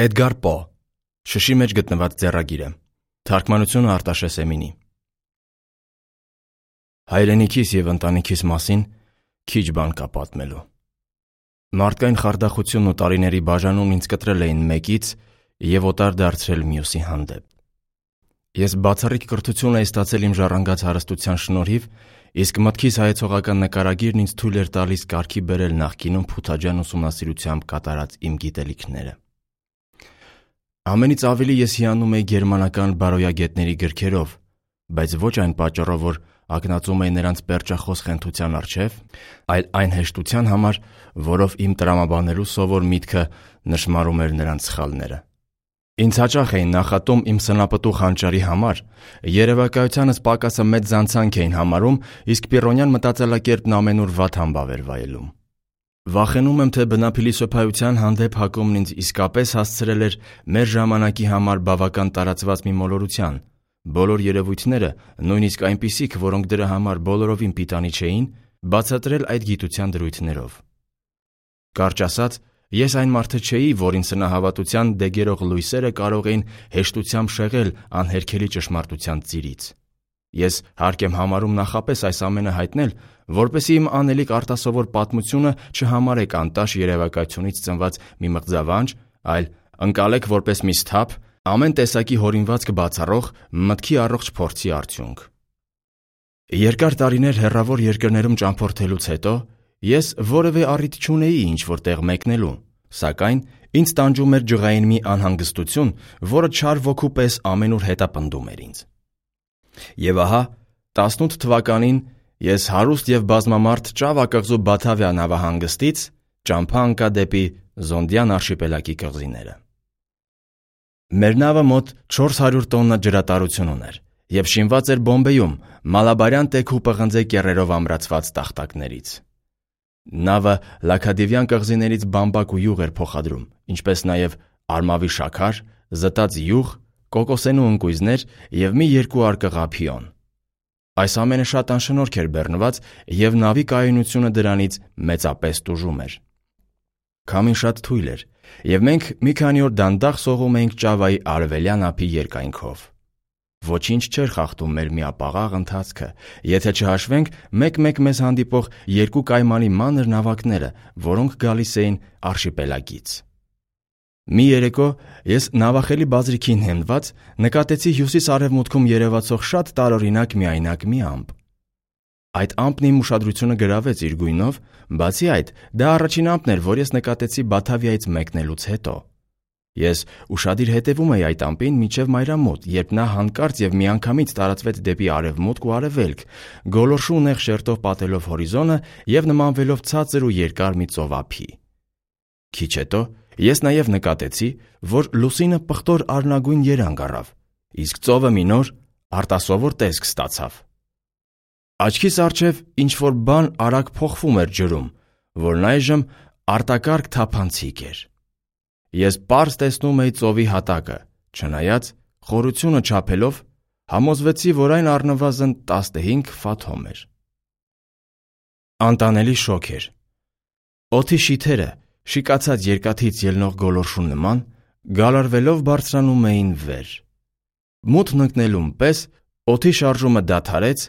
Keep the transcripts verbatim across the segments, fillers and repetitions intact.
Էդգար Պո «Շշի մեջ գտնված ձեռագիրը», թարգմանությունը Արտաշես Էմինի։ Հայրենիքիս և ընտանիքիս մասին քիչ բան կա պատմելու։ Մարդկային խարդախությունն ու տարիների բաժանումն ինձ կտրել էին մեկից և օտար դարձրել մյուսի հանդեպ։ Ես բացառիկ կրթություն էի ստացել իմ ժառանգած հարստության շնորհիվ, իսկ մտքիս հայեցողական նկարագիրն ինձ թույլ էր տալիս կարգի բերել նախկինում փութաջան ուսումնասիրությամբ կատարած իմ գիտելիքները։ Ամենից ավելի ես հիանում էի գերմանական բարոյագետների գրքերով, բայց ոչ այն պատճառով, որ ակնածում էի նրանց պերճախոս խենթության առջև, այլ այն հեշտության համար, որով իմ տրամաբանելու սովոր միտքը նշմարում էր նրանց սխալները։ Ինձ հաճախ էին նախատում իմ սնապտուղ հանճարի համար, երևակայությանս պակասը մեծ զանցանք էին համարում, իսկ Պիրոնյան մտածելակերպն ամենուր վատ համբավ էր վայելում։ Վախենում եմ, թե բնափիլիսոփայության հանդեպ հակումն ինձ իսկապես հասցրել էր մեր ժամանակի համար բավական տարածված մի մոլորության, բոլոր երևույթները, նույնիսկ այնպիսիք, որոնք դրա համար բոլորովին պիտանի չէին, բացատրել այդ գիտության դրույթներով։ Կարճ ասած, ես այն մարդը չէի, որին սնահավատության դեգերող լույսերը կարող էին հեշտությամբ շեղել անհերքելի ճշմարտության ծիրից։ Ես հարկ եմ համարում նախապես այս ամենը հայտնել, որպեսզի իմ անելիք արտասովոր պատմությունը չհամարեք անտաշ երևակայությունից ծնված մի մղձավանջ, այլ ընկալեք որպես մի սթափ, ամեն տեսակի հորինվածք բացառող մտքի առողջ փորձի արդյունք։ Երկար տարիներ հեռավոր երկրներում ճամփորդելուց հետո ես որևէ առիթ չունեի ինչ-որ տեղ մեկնելու, սակայն ինձ տանջում էր ջղային մի անհանգստություն, որը չար ոգու պես ամենուր հետապնդում էր ինձ։ Եվ ահա տասնութ թվականին ես հարուստ և բազմամարդ Ճավա կղզու Բաթավիա նավահանգստից ճամփա ընկա դեպի Զոնդյան արշիպելագի կղզիները։ Մեր նավը մոտ չորս հարյուր տոննա ջրատարություն ուներ և շինված էր Բոմբեյում մալաբարյան տեքու պղնձե կեռերով ամրացված տախտակներից։ Նավը Լաքադիվյան կղզիներից բամբակ ու յուղ էր փոխադրում, ինչպես նաև արմավի շաքար, զտած յուղ, կոկոսենու ընկույզներ և մի երկու արկղա փիոն։ Այս ամենը շատ անշնորհք էր բեռնված, և նավի կայունությունը դրանից մեծապես տուժում էր։ Քամին շատ թույլ էր, և մենք մի քանի օր դանդաղ սողում էինք Ճավայի արևելյան ափի երկայնքով։ Ոչինչ չէր խախտում մեր միապաղաղ ընթացքը, եթե չհաշվենք մեկ-մեկ մեզ հանդիպող երկու կայմանի մանր նավակները, որոնք գալիս էին արշիպելագից։ Մի երեկո ես նավախելի բազրիքին հենված նկատեցի հյուսիս-արևմուտքում երևացող շատ տարօրինակ միայնակ մի ամպ։ Այդ ամպն իմ ուշադրությունը գրավեց իր գույնով, բացի այդ, դա առաջին ամպն էր, որ ես նկատեցի Բաթավիայից մեկնելուց հետո։ Ես ուշադիր հետևում էի այդ ամպին մինչև մայրամուտ, երբ նա հանկարծ և միանգամից տարածվեց դեպի արևմուտք ու արևելք, գոլորշու նեղ շերտով պատելով հորիզոնը և նմանվելով ցածր ու երկար մի ծովափի։ Քիչ հետո ես նաև նկատեցի, որ լուսինը պղտոր արնագույն երանգ առավ, իսկ ծովը մի նոր, արտասովոր տեսք ստացավ։ Աչքիս առջև ինչ-որ բան արագ փոխվում էր ջրում, որն այժմ արտակարգ թափանցիկ էր։ Ես պարզ տեսնում էի ծովի հատակը, չնայած խորությունը չափելով համոզվեցի, որ այն առնվազն տասնհինգ ֆաթոմ էր։ Անտանելի շոգ էր։ Օդի շիթերը, շիկացած երկաթից ելնող գոլորշու նման, գալարվելով բարձրանում էին վեր։ Մութն ընկնելուն պես օդի շարժումը դադարեց,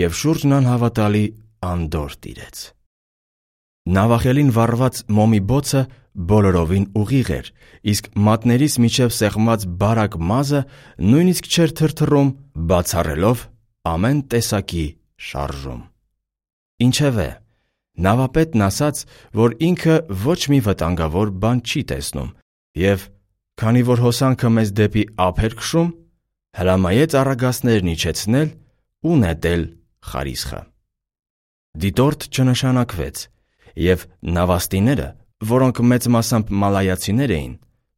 և շուրջն անհավատալի անդորր տիրեց։ Նավախելին վառված մոմի բոցը բոլորովին ուղիղ էր, իսկ մատներիս միջև սեղմված բարակ մազը նույնիսկ չէր թրթռում, բացառելով ամեն տեսակի շարժում։ Ինչևէ, նավապետն ասաց, որ ինքը ոչ մի վտանգավոր բան չի տեսնում, և քանի որ հոսանքը մեզ դեպի ափ էր քշում, հրամայեց առագաստներն իջեցնել ու նետել խարիսխը։ Դիտորդ չնշանակվեց, և նավաստիները, որոնք մեծ մասամբ մալայացիներ էին,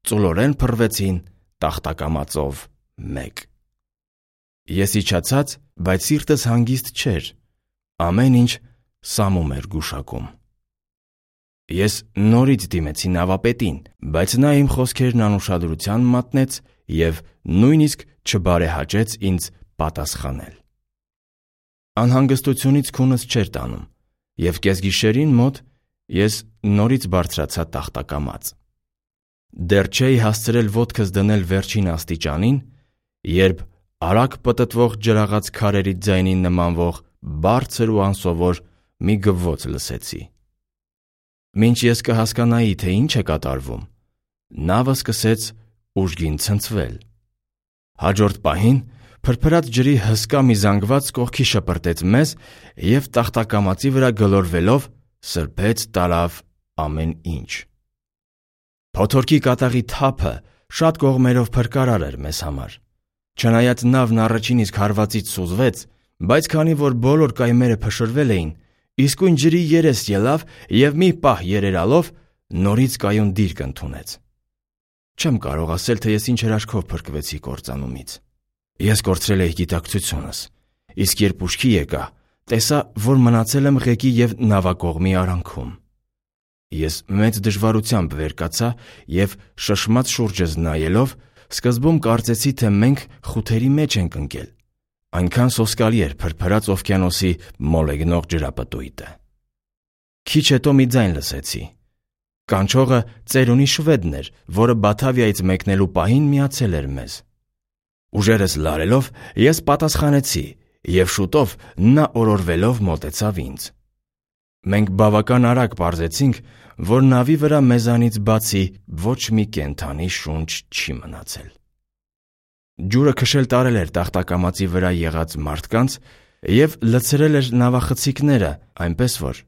ծուլորեն փռվեցին տախտակամածով մեկ։ Ես իջացած, բայց սիրտս հանգիստ չէր, ամեն ինչ սամում էր գուշակում։ Ես նորից դիմեցի նավապետին, բայց նա իմ խոսքերն անուշադրության մատնեց և նույնիսկ չբարեհաճեց ինձ պատասխանել։ Անհանգստությունից քունս չէր տանում, և կեսգիշերին մոտ ես նորից բարձրացա տախտակամած։ Դեռ չէի հասցրել ոտքս դնել վերջին աստիճանին, երբ արագ պտտվող ջրաղաց քարերի ձայնին նմանվող բարձր ու անսովոր մի գվվոց լսեցի։ Մինչ ես կհասկանայի, թե ինչ է կատարվում, նավը սկսեց ուժգին ցնցվել։ Հաջորդ պահին փրփրած ջրի հսկա մի զանգված կողքի շպրտեց մեզ և տախտակամածի վրա գլորվելով սրբեց տարավ ամեն ինչ։ Փոթորկի կատաղի թափը շատ կողմերով փրկարար էր մեզ համար։ Չնայած նավն առաջին իսկ հարվածից սուզվեց, բայց քանի որ բոլոր կայմերը փշրվել էին, իսկույն ջրի երես ելավ և մի պահ երերալով նորից կայուն դիրք ընդունեց։ Չեմ կարող ասել, թե ես ինչ հրաշքով փրկվեցի կործանումից։ Ես կորցրել էի գիտակցությունս, իսկ երբ ուշքի եկա, տեսա, որ մնացել եմ ղեկի և նավակողմի արանքում։ Ես մեծ դժվարությամբ վեր կացա և շշմած շուրջս նայելով, սկզբում կարծեցի, թե մենք խութերի մեջ ենք ընկել։ Այնքան սոսկալի էր փրփրած օվկիանոսի մոլեգնող ջրապտույտը։ Քիչ հետո մի ձայն լսեցի։ Կանչողը ծերունի շվեդն էր, որը Բաթավիայից մեկնելու պահին միացել էր մեզ։ Ուժերս լարելով ես պատասխանեցի, և շուտով նա օրորվելով մոտեցավ ինձ։ Մենք բավական արագ պարզեցինք, որ նավի վրա մեզանից բացի ոչ մի կենդանի շունչ չի մնացել։ Ջուրը քշել տարել էր տախտակամածի վրա եղած մարդկանց և լցրել էր նավախցիկները, այնպես որ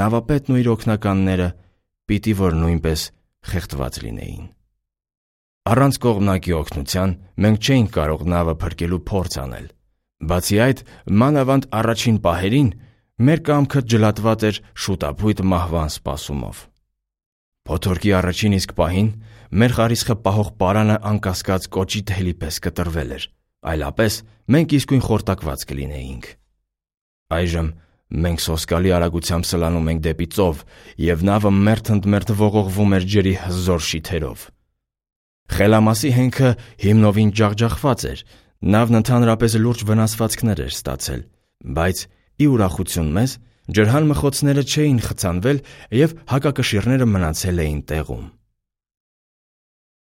նավապետն ու իր օգնականները պիտի որ նույնպես խեղդված լինեին։ Առանց կողմնակի օգնության մենք չէինք կարող նավը փրկելու փորձ անել։ Բացի այդ, մանավանդ առաջին պահերին մեր կամքը ջլատված էր շուտափույթ մահվան սպասումով։ Փոթորկի առաջին իսկ պահին մեր խարիսխը պահող պարանը անկասկած կոճի թելի պես կտրվել էր, այլապես մենք իսկույն խորտակված կլինեինք։ Այժմ մենք սոսկալի արագությամբ սլանում ենք դեպի ծով, և նավը մերթ ընդ մերթ ողողվում էր ջրի հզոր շիթերով։ Խելամասի հենքը հիմնովին ջախջախված էր, նավն ընդհանրապես լուրջ վնասվածքներ էր ստացել, բայց ի ուրախություն մեզ, ջրհան մխոցները չէին խցանվել և հակակշիռները մնացել էին տեղում։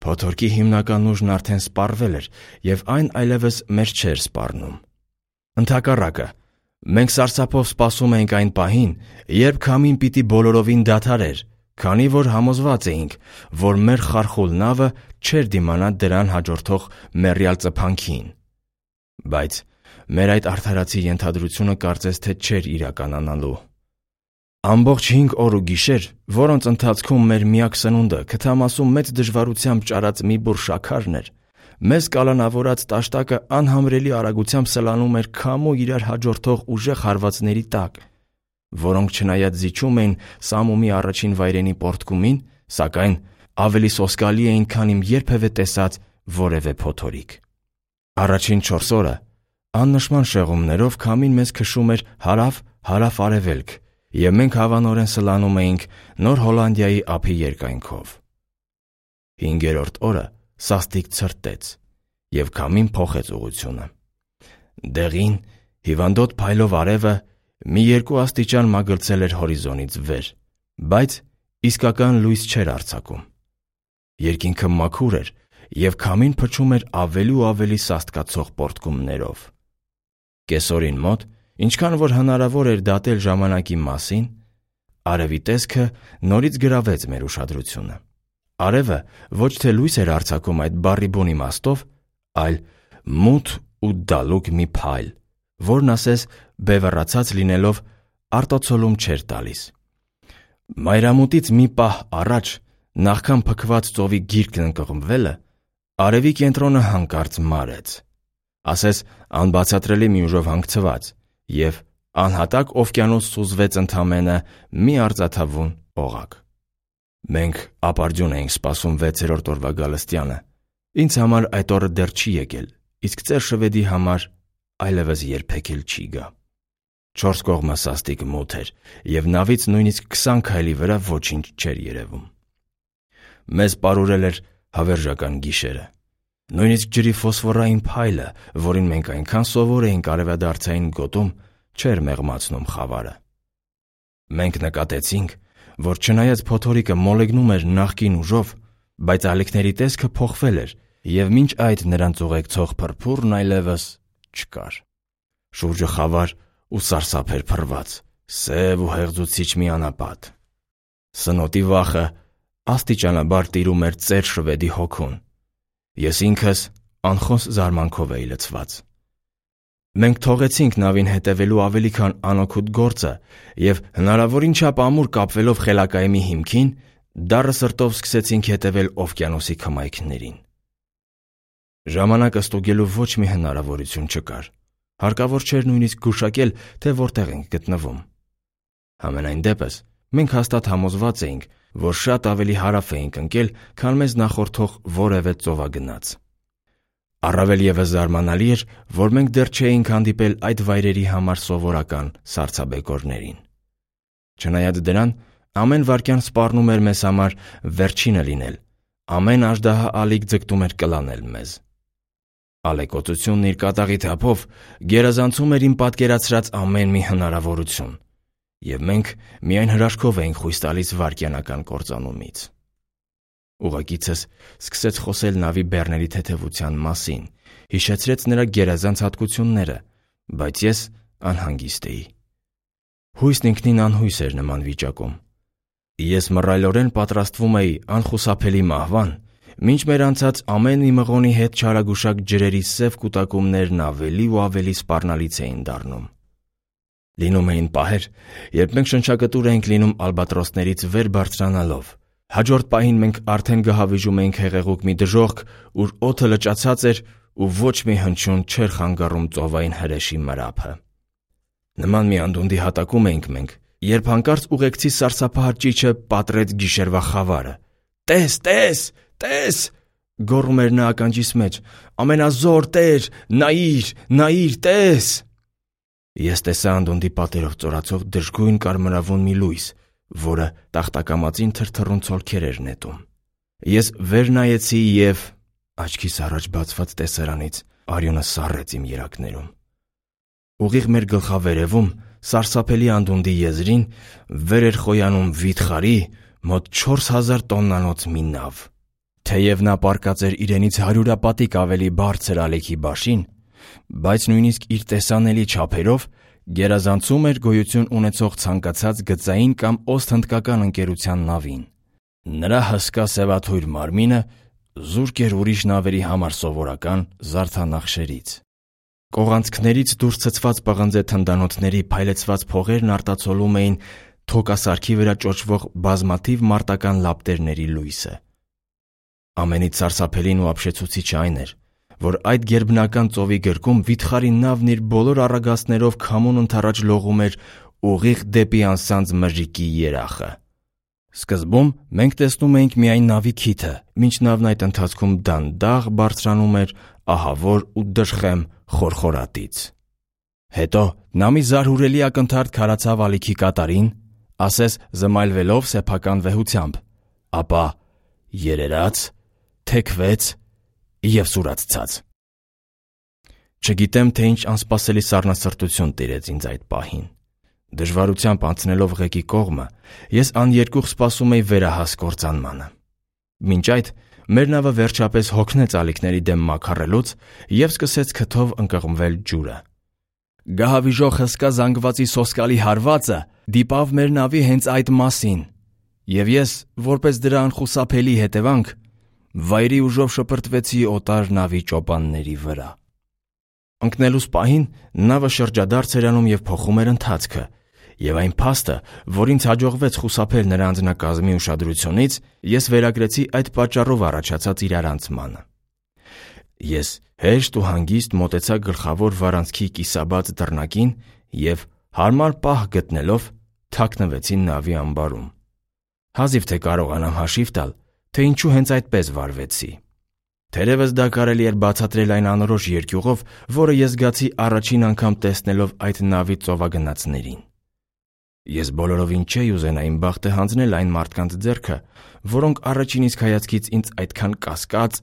Փոթորկի հիմնական ուժն արդեն սպառվել էր, և այն այլևս մեզ չէր սպառնում։ Ընդհակառակը, մենք սարսափով սպասում էինք այն պահին, երբ քամին պիտի բոլորովին դադարեր, քանի որ համոզված էինք, որ մեր խարխուլ նավը չէր դիմանա դրան հաջորդող մեռյալ ծփանքին։ Բայց մեր այդ արդարացի ենթադրությունը կարծես թե չէր իրականանալու։ Ամբողջ հինգ օր ու գիշեր, որոնց ընթացքում մեր միակ սնունդը քթամասում մեծ դժվարությամբ ճարած մի բուռ շաքարն էր, մեզ կալանավորած տաշտակը անհամրելի արագությամբ սլանում էր քամու իրար հաջորդող ուժեղ հարվածների տակ, որոնք չնայած զիջում էին սամումի առաջին վայրենի պոռթկումին, սակայն ավելի սոսկալի էին, քան իմ երբևէ տեսած որևէ փոթորիկ։ Առաջին չորս օրը աննշման շեղումներով քամին մեզ քշում էր հարավ-հարավ-արևելք, և մենք հավանորեն սլանում էինք Նոր Հոլանդիայի ափի երկայնքով։ Հինգերորդ օրը սաստիկ ցրտեց, և քամին փոխեց ուղղությունը։ Դեղին, հիվանդոտ փայլով արևը մի երկու աստիճան մագլցել էր հորիզոնից վեր, բայց իսկական լույս չէր արձակում։ Երկինքը մաքուր էր, և քամին փչում էր ավելի ու ավելի սաստկացող պոռթկումներով։ Կեսօրին մոտ, ինչքան որ հնարավոր էր դատել ժամանակի մասին, արևի տեսքը նորից գրավեց մեր ուշադրությունը։ Արևը ոչ թե լույս էր արձակում այդ բառի բուն իմաստով, այլ մութ ու դալուկ մի փայլ, որն ասես բևեռացած լինելով արտացոլում չէր տալիս։ Մայրամուտից մի պահ առաջ, նախքան փքված ծովի գիրկն ընկղմվելը, արևի կենտրոնը հանկարծ մարեց, ասես անբացատրելի մի ուժով հանգցված, և անհատակ օվկիանոս սուզվեց ընդամենը մի արծաթավուն օղակ։ Մենք ապարդյուն էինք սպասում վեցերորդ օրվա գալստյանը։ Ինձ համար այդ օրը դեռ չի եկել, իսկ ծեր շվեդի համար այլևս երբեք էլ չի գա։ Չորս կողմը սաստիկ մութ էր, և նավից նույնիսկ քսան քայլի վրա ոչինչ չէր երևում։ Մեզ պարուրել էր հավերժական գիշերը։ Նույնիսկ ջրի ֆոսֆորային փայլը, որին մենք այնքան սովոր էինք արևադարձային գոտում, չէր մեղմացնում խավարը։ Մենք նկատեցինք, որ չնայած փոթորիկը մոլեգնում էր նախկին ուժով, բայց ալիքների տեսքը փոխվել էր, և մինչ այդ նրանց ուղեկցող փրփուրն այլևս չկար։ Շուրջը խավար ու սարսափ էր փռված, սև ու հեղձուցիչ մի անապատ։ Սնոտի վախը աստիճանաբար տիրում էր ծեր շվեդի հոգուն։ Ես ինքս անխոս զարմանքով էի լցված։ Մենք թողեցինք նավին հետևելու ավելի քան անօգուտ գործը և հնարավորին չափ ամուր կապվելով խելակայմի հիմքին, դառը սրտով սկսեցինք հետևել օվկիանոսի քմայքներին։ Ժամանակը ստուգելու ոչ մի հնարավորություն չկար։ Հարկավոր չէր նույնիսկ գուշակել, թե որտեղ ենք գտնվում։ Համենայն դեպս, մենք հաստատ համոզված էինք, որ շատ ավելի հարավ էինք ընկել, քան մեզ նախորդող որևէ ծովագնաց։ Առավել ևս զարմանալի էր, որ մենք դեռ չէինք հանդիպել այդ վայրերի համար սովորական սառցաբեկորներին։ Չնայած դրան, ամեն վայրկյան սպառնում էր մեզ համար վերջինը լինել, ամեն աժդահա ալիք ձգտում էր կլանել մեզ։ Ալեկոծությունն իր կատաղի թափով գերազանցում էր իմ պատկերացրած ամեն մի հնարավորություն, և մենք միայն հրաշքով էինք խույս տալիս վայրկյանական կործանումից։ Ուղեկիցս սկսեց խոսել նավի բեռների թեթևության մասին, հիշեցրեց նրա գերազանց հատկությունները, բայց ես անհանգիստ էի։ Հույսն ինքնին անհույս էր նման վիճակում։ Ես մռայլորեն պատրաստվում էի անխուսափելի մահվան, մինչ մեր անցած ամեն մի մղոնի հետ չարագուշակ ջրերի սև կուտակումներն ավելի ու ավելի սպառնալից էին դառնում։ Լինում էին պահեր, երբ մենք շնչակտուր էինք լինում ալբատրոսներից վեր բարձրանալով։ Հաջորդ պահին մենք արդեն գահավիժում էինք հեղեղուկ մի դժոխք, ուր օդը լճացած էր ու ոչ մի հնչյուն չէր խանգարում ծովային հրեշի մրափը։ Նման մի անդունդի հատակում էինք մենք, երբ հանկարծ ուղեկցի սարսափահար ճիչը պատռեց գիշերվա խավարը։ «Տես, տես, տես», գոռում էր նա ականջիս մեջ, «ամենազոր Տեր, նայիր, նայիր, տես»։ Ես տեսա անդունդի պատերով ծորացող դժգույն կարմրավուն մի լույս, որը տախտակամածին թրթռուն ցոլքեր էր նետում։ Ես վեր նայեցի և աչքիս առաջ բացված տեսարանից արյունը սառեց իմ երակներում։ Ուղիղ մեր գլխավերևում, սարսափելի անդունդի եզրին, վեր էր խոյանում վիթխարի մոտ չորս հազար տոննանոց մի նավ։ Թեև նա պառկած էր իրենից հարյուրապատիկ ավելի բարձր ալիքի բաշին, բայց նույնիսկ իր տեսանելի չափերով գերազանցում էր գոյություն ունեցող ցանկացած գծային կամ օսթհնդկական ընկերության նավին։ Նրա հսկա սևաթույր մարմինը զուրկ էր ուրիշ նավերի համար սովորական զարդանախշերից։ Կողանցքներից դուրս ցցված պղնձե թնդանոթների փայլեցված փողերն արտացոլում էին թոկասարքի վրա ճոճվող բազմաթիվ մարտական լապտերների լույսը։ Ամենից սարսափելին ու ապշեցուցիչը այն էր, որ այդ գերբնական ծովի գրկում վիթխարի նավն իր բոլոր առագաստներով քամուն ընդառաջ լողում էր ուղիղ դեպի անսանձ մրրիկի երախը։ Սկզբում մենք տեսնում էինք միայն նավի քիթը, մինչ նավն այդ ընթացքում դանդաղ բարձրանում էր ահավոր ու դժխեմ խորխորատից։ Հետո նա մի զարհուրելի ակնթարթ քարացավ ալիքի կատարին, ասես զմայլվելով սեփական վեհությամբ, ապա երերաց, թեքվեց և սուրաց ցած։ Չգիտեմ, թե ինչ անսպասելի սառնասրտություն տիրեց ինձ այդ պահին։ Դժվարությամբ անցնելով ղեկի կողմը, ես աներկուղ սպասում էի վերահաս կործանմանը։ Մինչ այդ մեր նավը վերջապես հոգնեց ալիքների դեմ մաքարելուց և սկսեց քթով ընկղմվել ջուրը։ Գահավիժող հսկա զանգվածի սոսկալի հարվածը դիպավ մեր նավի հենց այդ մասին, և ես, որպես դրա անխուսափելի հետևանք, վայրի ուժով շպրտվեցի օտար նավի ճոպանների վրա։ Ընկնելուս պահին նավը շրջադարձ էր անում և փոխում էր ընթացքը, և այն փաստը, որ ինձ հաջողվեց խուսափել նրա անձնակազմի ուշադրությունից, ես վերագրեցի այդ պատճառով առաջացած իրարանցմանը։ Ես հեշտ ու հանգիստ մոտեցա գլխավոր վարանցքի կիսաբաց դռնակին և, հարմար պահ գտնելով, թաքնվեցի նավի ամբարում։ Հազիվ թե կարողանամ հաշիվ տալ, թե ինչու հենց այդպես վարվեցի։ Թերևս դա կարելի էր բացատրել այն անորոշ երկյուղով, որը ես զգացի առաջին անգամ տեսնելով այդ նավի ծովագնացներին։ Ես բոլորովին չէի ուզենա իմ բախտը հանձնել այն մարդկանց ձեռքը, որոնք առաջին իսկ հայացքից ինձ այդքան կասկած,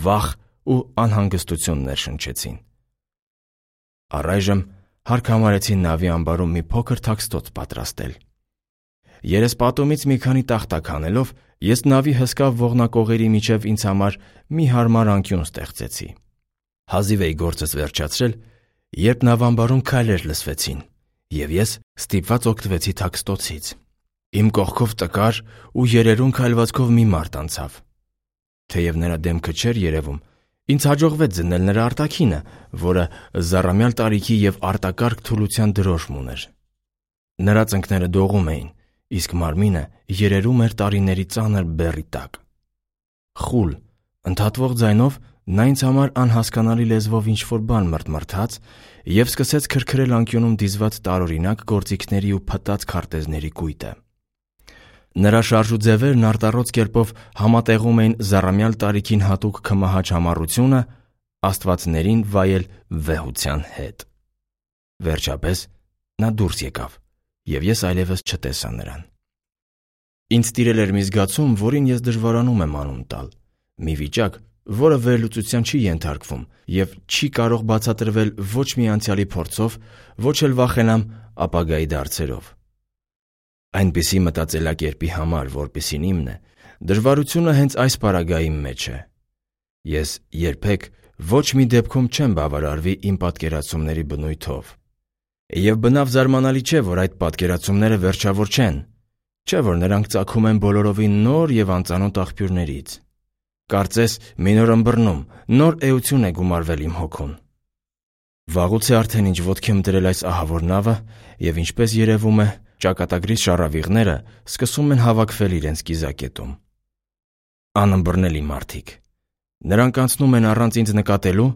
վախ ու անհանգստություն ներշնչեցին։ Առայժմ հարկ համարեցի նավի ամբարում մի փոքր թաքստոց պատրաստել։ Երեսպատումից մի քանի տախտակ հանելով, ես նավի հսկա ողնակողերի միջև ինձ համար մի հարմար անկյուն ստեղծեցի։ Հազիվ էի գործս վերջացրել, երբ նավամբարում քայլեր լսվեցին, և ես ստիպված օգտվեցի թաքստոցից։ Իմ կողքով տկար ու երերուն քայլվածքով մի մարդ անցավ։ Թեև նրա դեմքը չէր երևում, ինձ հաջողվեց զննել նրա արտաքինը, որը զառամյալ տարիքի և արտակարգ թուլության դրոշմ ուներ։ Նրա ծնկները դողում էին, իսկ մարմինը երերում էր տարիների ծանր բեռի տակ։ Խուլ, ընդհատվող ձայնով նա ինձ համար անհասկանալի լեզվով ինչ-որ բան մռթմռթաց և սկսեց քրքրել անկյունում դիզված տարօրինակ գործիքների ու փտած քարտեզների կույտը։ Նրա շարժուձևերն արտառոց կերպով համատեղում էին զառամյալ տարիքին հատուկ քմահաճ համառությունը աստվածներին վայել վեհության հետ։ Վերջապես նա դուրս եկավ, և ես այլևս չտեսա նրան։ Ինձ տիրել էր մի զգացում, որին ես դժվարանում եմ անուն տալ, մի վիճակ, որը վերլուծության չի ենթարկվում և չի կարող բացատրվել ոչ մի անցյալի փորձով, ոչ էլ վախենամ ապագայի դարձերով։ Այնպիսի մտածելակերպի համար, որպիսին իմն է, դժվարությունը հենց այս պարագայի մեջ է։ Ես երբեք ոչ մի դեպքում չեմ բավարարվի իմ պատկերացումների բնույթով։ Եվ բնավ զարմանալի չէ, որ այդ պատկերացումները վերջավոր չեն, չէ՞ որ նրանք ծագում են բոլորովին նոր և անծանոթ աղբյուրներից։ Կարծես մի նոր ըմբռնում, նոր էություն է գումարվել իմ հոգուն։ Վաղուց է արդեն ինչ ոտքի եմ դրել այս ահավոր նավը, և ինչպես երևում է, ճակատագրի շառավիղները սկսում են հավաքվել իրենց կիզակետում։ Անըմբռնելի մարդիկ։ Նրանք անցնում են առանց ինձ նկատելու,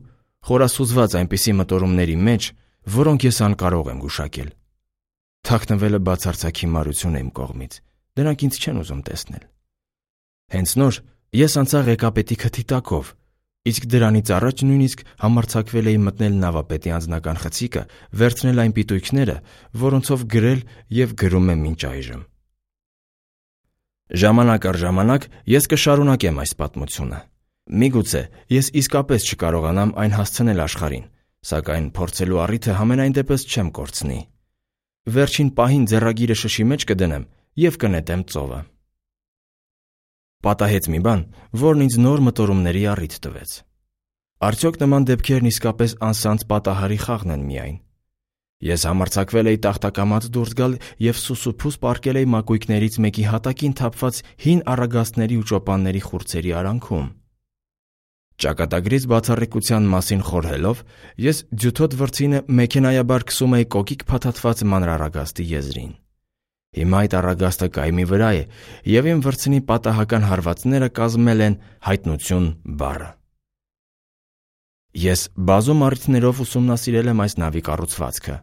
խորասուզված այնպիսի մտորումների մեջ, որոնք ես անկարող եմ գուշակել։ Թաքնվելը բացարձակ հիմարություն է իմ կողմից, դրանք ինձ չեն ուզում տեսնել։ Հենց նոր ես անցա ղեկապետի քթի տակով, իսկ դրանից առաջ նույնիսկ համարձակվել էի մտնել նավապետի անձնական խցիկը, վերցնել այն պիտույքները, որոնցով գրել և գրում եմ մինչ այժմ։ Ժամանակ առ ժամանակ ես կշարունակեմ այս պատմությունը։ Միգուցե ես իսկապես չկարողանամ այն հասցնել աշխարհին, սակայն փորձելու առիթը համենայն դեպս չեմ կորցնի։ Վերջին պահին ձեռագիրը շշի մեջ կդնեմ և կնետեմ ծովը։ Պատահեց մի բան, որն ինձ նոր մտորումների առիթ տվեց։ Արդյոք նման դեպքերն իսկապես անսանձ պատահարի խաղն են միայն։ Ես համարձակվել էի տախտակամած դուրս գալ և սուսուփուս պառկել էի մակույկներից մեկի հատակին թափված հին առագաստների ու ճոպանների խուրձերի արանքում։ Ճակատագրից բացառիկության մասին խորհելով, ես ձյութոտ վրձինը մեքենայաբար քսում էի կոկիկ փաթաթված մանրառագաստի եզրին։ Հիմա այդ առագաստը կայմի վրա է, և իմ վրձնի պատահական հարվածները կազմել են հայտնություն բառը։ Ես բազում առիթներով ուսումնասիրել եմ այս նավի կառուցվածքը։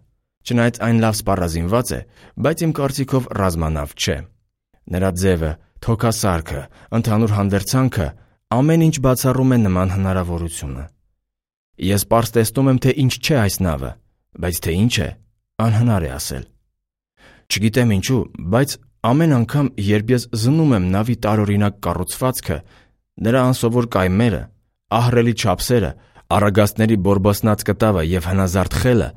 Չնայած այն լավ սպառազինված է, բայց իմ կարծիքով ռազմանավ չէ։ Նրա ձևը, թոքասարքը, ընդհանուր հանդերձանքը ամեն ինչ բացառում է նման հնարավորությունը։ Ես պարզ տեսնում եմ, թե ինչ չէ այս նավը, բայց թե ինչ է, անհնար է ասել։ Չգիտեմ ինչու, բայց ամեն անգամ, երբ ես զնում եմ նավի տարօրինակ կառուցվածքը, նրա անսովոր կայմերը, ահռելի չափսերը, առագաստների բորբոսնած կտավը և հնազարդ խելը,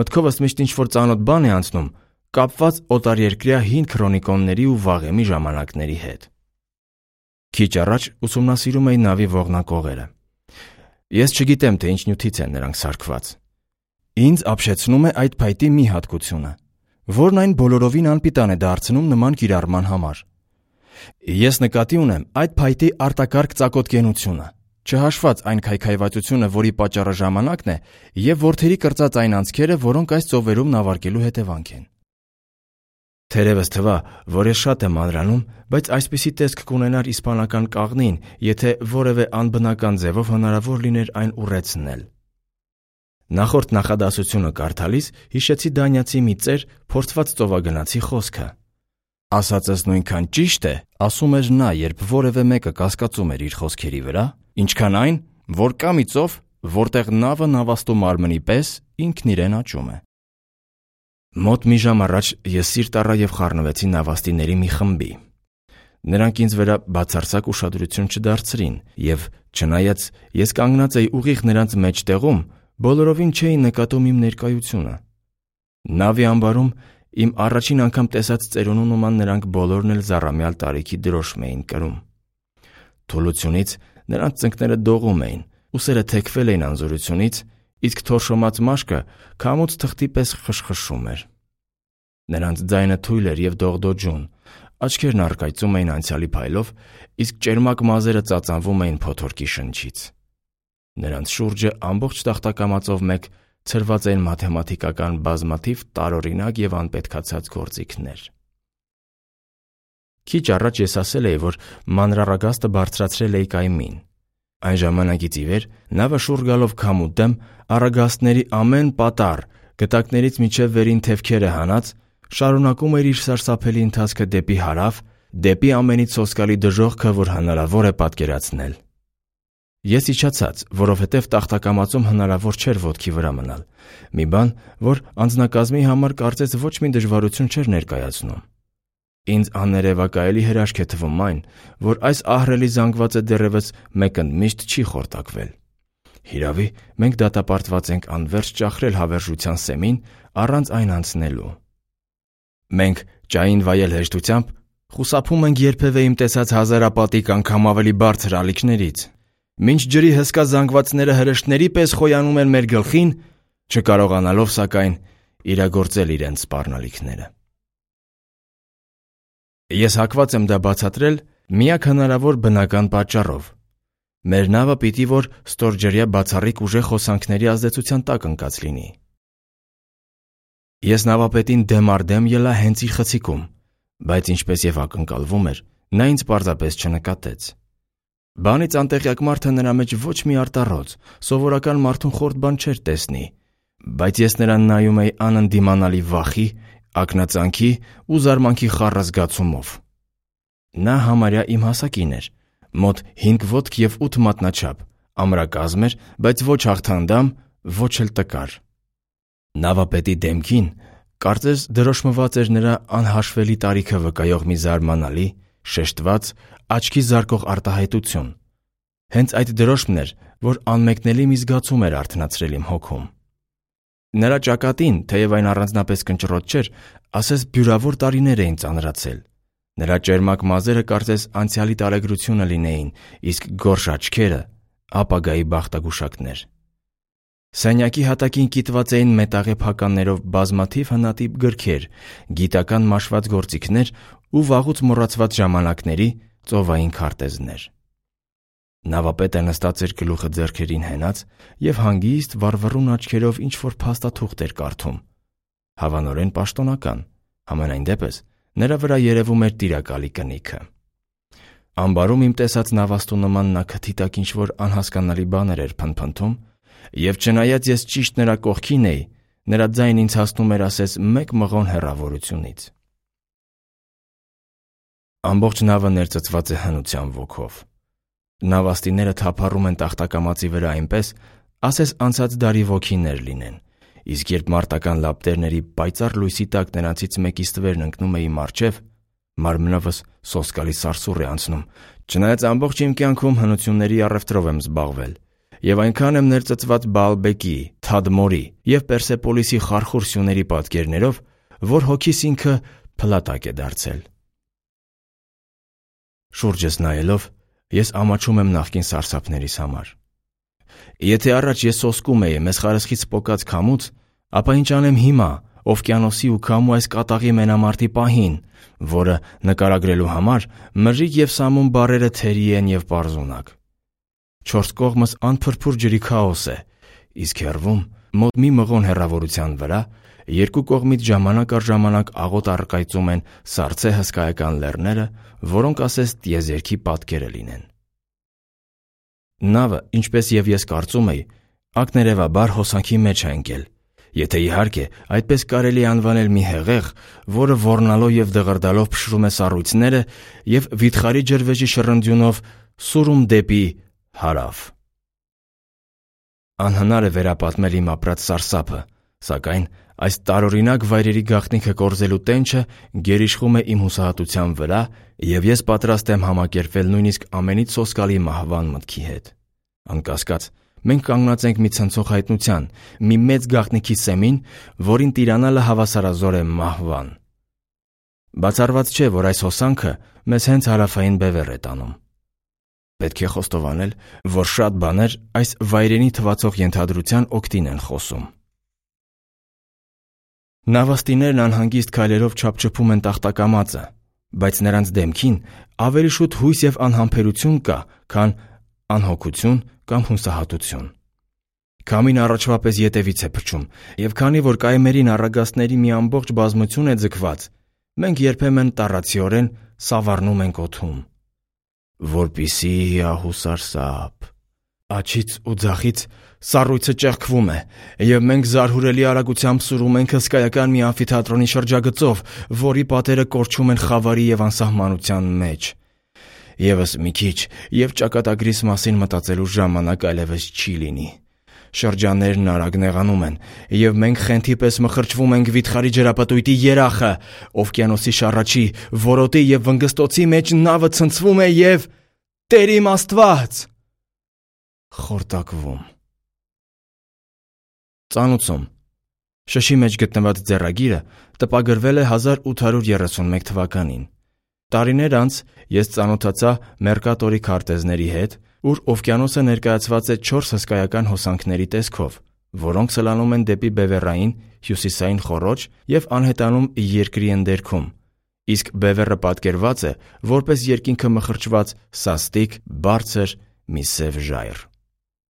մտքովս միշտ ինչ-որ ծանոթ բան է անցնում, կապված օտարերկրյա հին քրոնիկոնների ու վաղեմի ժամանակների հետ։ Քիչ առաջ ուսումնասիրում էի նավի ողնակողերը։ Ես չգիտեմ, թե ինչ նյութից են նրանք սարքված։ Ինձ ապշեցնում է այդ փայտի մի հատկությունը, որն այն բոլորովին անպիտան է դարձնում նման կիրառման համար։ Ես նկատի ունեմ այդ փայտի արտակարգ ծակոտկենությունը, չհաշված այն քայքայվածությունը, որի պատճառը ժամանակն է, և որդերի կրծած այն անցքերը, որոնք այս ծովերում նավարկելու հետևանք են։ Թերևս թվա, որ ես շատ եմ մանրանում, բայց այսպիսի տեսք կունենար իսպանական կաղնին, եթե որևէ անբնական ձևով հնարավոր լիներ այն ուռեցնել։ Նախորդ նախադասությունը կարդալիս հիշեցի դանիացի մի ծեր փորձված ծովագնացի խոսքը։ Ասածս նույնքան ճիշտ է, ասում էր նա, երբ որևէ մեկը կասկածում էր իր խոսքերի վրա, ինչքան այն, որ կա մի ծով, որտեղ նավը նավաստու մարմնի պես ինքն իրեն աճում է։ Մոտ մի ժամ առաջ ես սիրտ առա և խառնվեցի նավաստիների մի խմբի։ Նրանք ինձ վրա բացարձակ ուշադրություն չդարձրին, և չնայած ես կանգնած էի ուղիղ նրանց մեջտեղում, բոլորովին չէին նկատում իմ ներկայությունը։ Նավի ամբարում Իմ առաջին անգամ տեսած ծերունու նման նրանք բոլորն էլ զառամյալ տարիքի դրոշմ էին կրում։ Թուլությունից նրանց ծնկները դողում էին, ուսերը թեքվել էին անզորությունից, իսկ թորշոմած մաշկը քամուց թղթի պես խշխշում էր։ Նրանց ձայնը թույլ էր և դողդոջուն, աչքերն առկայծում էին անցյալի փայլով, իսկ ճերմակ մազերը ծածանվում էին փոթորկի շնչից։ Նրանց շուրջը ամբողջ տախտակամածով մեկ ցրված էին մաթեմատիկական բազմաթիվ տարօրինակ և անպետքացած գործիքներ։ Քիչ առաջ ես ասել էի, որ մանրառագաստը բարձրացրել էի կայմին։ Այն ժամանակից ի վեր նավը շուռ գալով քամու դեմ առագաստների ամեն պատառ, գտակներից մինչև վերին թևքերը հանած, շարունակում էր իր սարսափելի ընթացքը դեպի հարավ, դեպի ամենից սոսկալի դժոխքը, որ հնարավոր է պատկերացնել։ Ես իջացած, որովհետև տախտակամածում հնարավոր չէր ոտքի վրա մնալ, մի բան, որ անձնակազմի համար կարծես ոչ մի դժվարություն չէր ներկայացնում։ Ինձ աներևակայելի հրաշք է թվում այն, որ այս ահռելի զանգվածը դեռևս մեկընդմիշտ չի խորտակվել։ Հիրավի, մենք դատապարտված ենք անվերջ ճախրել հավերժության սեմին առանց այն անցնելու։ Մենք, ջային վայել հեշտությամբ, խուսափում ենք երբևէ իմ տեսած հազարապատիկ անգամ ավելի բարձր ալիքներից։ Մինչ ջրի հսկա զանգվածները հրեշտների պես խոյանում են մեր գլխին, չկարողանալով, սակայն, իրագործել իրենց սպառնալիքները։ Ես հակված եմ դա բացատրել միակ հնարավոր բնական պատճառով։ Մեր նավը պիտի որ ստորջրյա բացառիկ ուժեղ հոսանքների ազդեցության տակ ընկած լինի։ Ես նավապետին դեմ առ դեմ ելա հենց իր խցիկում, բայց ինչպես եւ ակնկալվում էր, նա ինձ պարզապես չնկատեց։ Բանից անտեղյակ մարդը նրա մեջ ոչ մի արտառոց, սովորական մարդուն խորտ բան չէր տեսնի, բայց ես նրան նայում էի անընդդիմանալի վախի, ակնածանքի ու զարմանքի խառը զգացումով։ Նա համարյա իմ հասակին էր, մոտ հինգ ոտք և ութ մատնաչափ, ամրակազմ էր, բայց ոչ հաղթանդամ, ոչ էլ տկար։ Նավապետի դեմքին կարծես դրոշմված էր նրա անհաշվելի տարիքը վկայող մի զարմանալի, շեշտված, աչքի զարկող արտահայտություն։ Հենց այդ դրոշմն էր, որ անմեկնելի մի զգացում էր արթնացրել իմ հոգում։ Նրա ճակատին, թեև այն առանձնապես կնճռոտ չէր, ասես բյուրավոր տարիներ էին ծանրացել։ Նրա ճերմակ մազերը կարծես անցյալի տարեգրությունը լինեին, իսկ գորշ աչքերը ապագայի բախտագուշակներ։ Սենյակի հատակին կիտված էին մետաղե փականներով բազմաթիվ հնատիպ գրքեր, գիտական մաշված գործիքներ ու վաղուց մոռացված ժամանակների ծովային քարտեզներ։ Նավապետը նստած էր գլուխը ձեռքերին հենած և հանգիստ վառվռուն աչքերով ինչ-որ փաստաթուղթ էր կարդում։ Հավանորեն պաշտոնական, համենայն դեպս նրա վրա երևում էր տիրակալի կնիքը։ Ամբարում իմ տեսած նավաստու նման նա քթի տակ ինչ-որ անհասկանալի բաներ էր փնփնթում, և չնայած ես ճիշտ նրա կողքին էի, նրա ձայնը ինձ հասնում էր ասես մեկ մղոն հեռավորությունից։ Ամբողջ նավը ներծծված է հնության ոգով։ Նավաստիները թափառում են տախտակամածի վրա այնպես, ասես անցած դարի ոգիներ լինեն, իսկ երբ մարտական լապտերների պայծառ լույսի տակ նրանցից մեկի ստվերն ընկնում է իմ առջև, մարմնովս սոսկալի սարսուռ է անցնում, չնայած ամբողջ իմ կյանքում հնությունների առևտրով եմ զբաղվել, և այնքան եմ ներծծված Բաալբեկի, Թադմորի և Պերսեպոլիսի խարխուր սյուների պատկերներով, որ հոգիս ինքը փլատակ է դարձել։ Շուրջս նայելով, ես ամաչում եմ նախկին սարսափներիս համար։ Եթե առաջ ես սոսկում էի մեզ խարսխից պոկած քամուց, ապա ինչ անեմ հիմա, օվկիանոսի ու քամու այս կատաղի մենամարտի պահին, որը նկարագրելու համար մրրիկ և սամուն բառերը թերի են և պարզունակ։ Չորս կողմս անփրփուր ջրի քաոս է, իսկ հեռվում, մոտ մի մղոն հեռավորության վրա, երկու կողմից ժամանակ առ ժամանակ աղոտ առկայծում են սառցե հսկայական լեռները, որոնք ասես տիեզերքի պատկերը լինեն։ Նավը, ինչպես և ես կարծում էի, ակներևաբար հոսանքի մեջ է ընկել, եթե իհարկե այդպես կարելի է անվանել մի հեղեղ, որը ոռնալով և դղրդալով փշրում է սառույցները և վիթխարի ջրվեժի շռնդյունով սուրում դեպի հարավ։ Անհնար է վերապատմել իմ ապրած սարսափը, սակայն այս տարօրինակ վայրերի գաղտնիքը կորզելու տենչը գերիշխում է իմ հուսահատության վրա, և ես պատրաստ եմ համակերպվել նույնիսկ ամենից սոսկալի մահվան մտքի հետ։ Անկասկած, Մենք կանգնած ենք մի ցնցող հայտնության, մի մեծ գաղտնիքի սեմին, որին տիրանալը հավասարազոր է մահվան։ Բացառված չէ, որ այս հոսանքը մեզ հենց հարավային բևեռ է տանում։ Պետք է խոստովանել, որ շատ բաներ այս վայրենի թվացող ենթադրության օգտին են խոսում։ Նավաստիներն անհանգիստ քայլերով չափչփում են տախտակամածը, բայց նրանց դեմքին ավելի շուտ հույս և անհամբերություն կա, քան անհոգություն կամ հուսահատություն։ Քամին առաջվա պես ետևից է փչում, և քանի որ կայմերին առագաստների մի ամբողջ բազմություն է ձգված, մենք երբեմն տառացիորեն սավառնում ենք օդում։ Որպիսի հիահուսարսափ։ Աջից ու ձախից սառույցը ճեղքվում է, և մենք զարհուրելի արագությամբ սուրում ենք հսկայական մի ամֆիթատրոնի շրջագծով, որի պատերը կորչում են խավարի և անսահմանության մեջ։ Եվս մի քիչ, և ճակատագրիս մասին մտածելու ժամանակ այլևս չի լինի։ Շրջաններն արագ նեղանում են, և մենք խենթի պես մխրճվում ենք վիթխարի ջրապտույտի երախը, օվկիանոսի շառաչի, որոտի և վնգստոցի մեջ նավը ցնցվում է և… Տեր իմ Աստված… խորտակվում։ Ծանուցում շշի մեջ գտնված ձեռագիրը տպագրվել է հազար ութ հարյուր երեսունմեկ թվականին։ Տարիներ անց ես ծանոթացա Մերկատորի քարտեզների հետ, ուր օվկիանոսը ներկայացված է չորս հսկայական հոսանքների տեսքով, որոնք սլանում են դեպի բևեռային հյուսիսային խոռոչ և անհետանում երկրի ընդերքում, իսկ բևեռը պատկերված է որպես երկինքը մխրճված սաստիկ, բարձր մի սև ժայռ։